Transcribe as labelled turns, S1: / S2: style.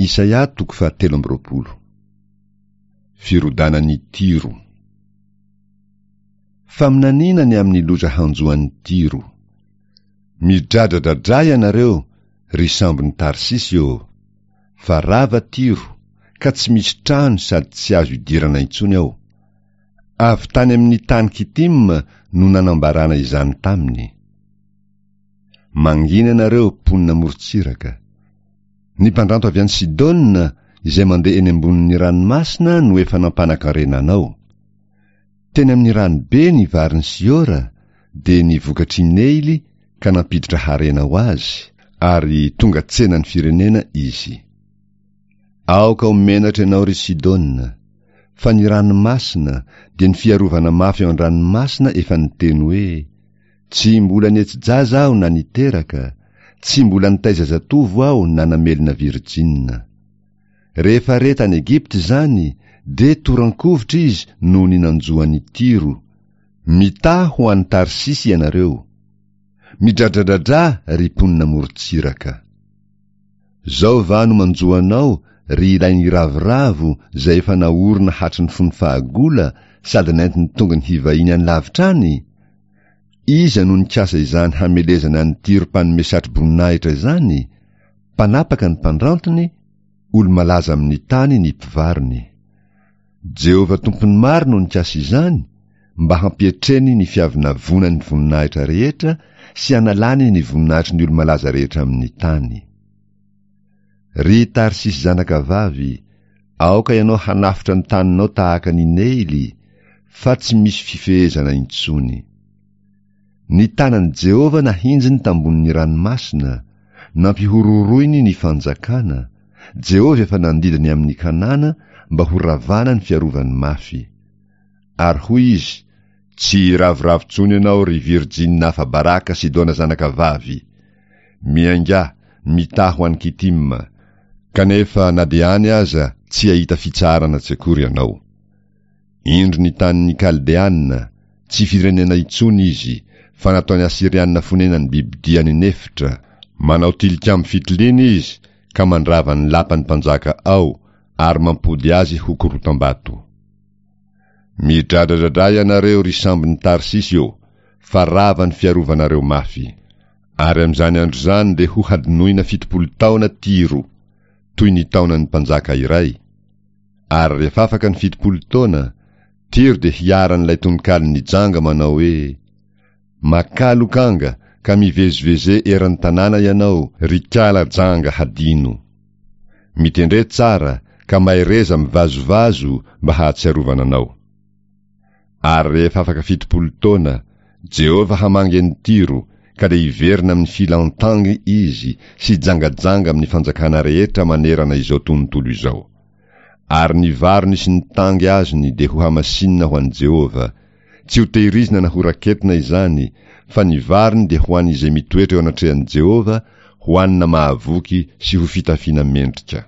S1: Isaia toko fahatelo amby 20. Firodanan'i Tyro. Faminaniana ny amin'ny loza hanjo an'i Tyro. Midradradradrà ianareo, ry sambon'i Tarsisy ô! Fa rava Tyro, ka tsy misy trano sady tsy azo idirana intsony ao. Avy tany amin'ny tany Kitima no nanambarana izany taminy. Mangina ianareo, mponina amorontsiraka. Ny mpandranto avy any Sidona izay mandeha eny ambonin'ny ranomasina no efa nampanan-karena anao. Teny amin'ny ranobe ny varin'i Siora, dia ny vokatr'i Neily ka nampiditra harena ho azy, ary tonga tsenan'ny firenena izy. Aoka ho menatra ianao, ry Sidona, fa ny ranomasina, dia ny fiarovana mafy ao an-dranomasina efa niteny hoe, Tsy mbola nihetsi-jaza aho na niteraka, tsy mbola nitaiza zatovo aho na namelona virjinina. Rehefa re tany Egypta izany, dia toran-kovitra izy noho ny nanjo an'i Tyro. Mitaha ho any Tarsisy ianareo. Midradradradrà, ry mponina amoron-tsiraka. Zao va no manjo anao, ry ilay niravoravo izay efa naorina hatry ny fony fahagola sady nentiny tongony hivahiny any lavitra any? Iza no nikasa izany hamelezana an'i Tyro mpanome satroboninahitra izany, mpanapaka ny mpandrantiny, olo-malaza amin'ny tany ny mpivarony? Jehovah Tompon'ny maro no nikasa izany mba hampietreny ny fiavonavonan'ny voninahitra rehetra sy hanalany ny voninahitry ny olo-malaza rehetra amin'ny tany. Ry Tarsisy zanakavavy, aoka ianao hanafotra ny taninao tahaka ny Neily, fa tsy misy fifehezana intsony. Ny tanan'i Jehovah nahinjiny tambonin'ny ranomasina, nampihorohoroiny ny fanjakana, Jehovah efa nandidy ny amin'i Kanana mba ho ravana ny fiarovany mafy. Ary hoy izy, Tsy hiravoravo intsony ianao, ry virjinina afa-baraka Sidona zanakavavy! Miaingà, mitaha ho any Kitima! Kanefa na dia any aza tsy hahita fitsaharana tsy akory ianao. Indro ny tanin'ny Kaldeana, tsy firenena intsony izy, fa nataon'ny Asyriana fonenan'ny bibidia any an'efitra, manao tilikambo fitiliana izy ka mandrava ny lapan'ny mpanjaka ao ary mampody azy ho korotam-bato. Midradradradrà ianareo, ry sambon'i Tarsisy ô, fa rava ny fiarovanareo mafy. Ary amin'izany andro izany dia hohadinoina 70 taona Tyro, toy ny taonan'ny mpanjaka iray. Ary rehefa afaka ny 70 taona, Tyro dia hiharan'ilay tononkalon'ny janga manao hoe, Makà lokanga ka miveziveze eran'ny tanàna ianao, ry kala janga hadino. Mitendre tsara ka mahereza mivazovazo mba hahatsiarovana anao. Ary rehefa afaka 70 taona, Jehovah hamangy an'i Tyro, ka dia hiverina amin'ny filan-tangy izy sy hijangajanga amin'ny fanjakana rehetra manerana izao tontolo izao. Ary ny varony sy ny tangy azony dia hohamasinina ho an'i Jehovah, tsy hotehirizina na horaketina izany, fa ny varony dia ho an'izay mitoetra eo anatrehan'i Jehovah, hohanina mahavoky sy ho fitafiana mendrika.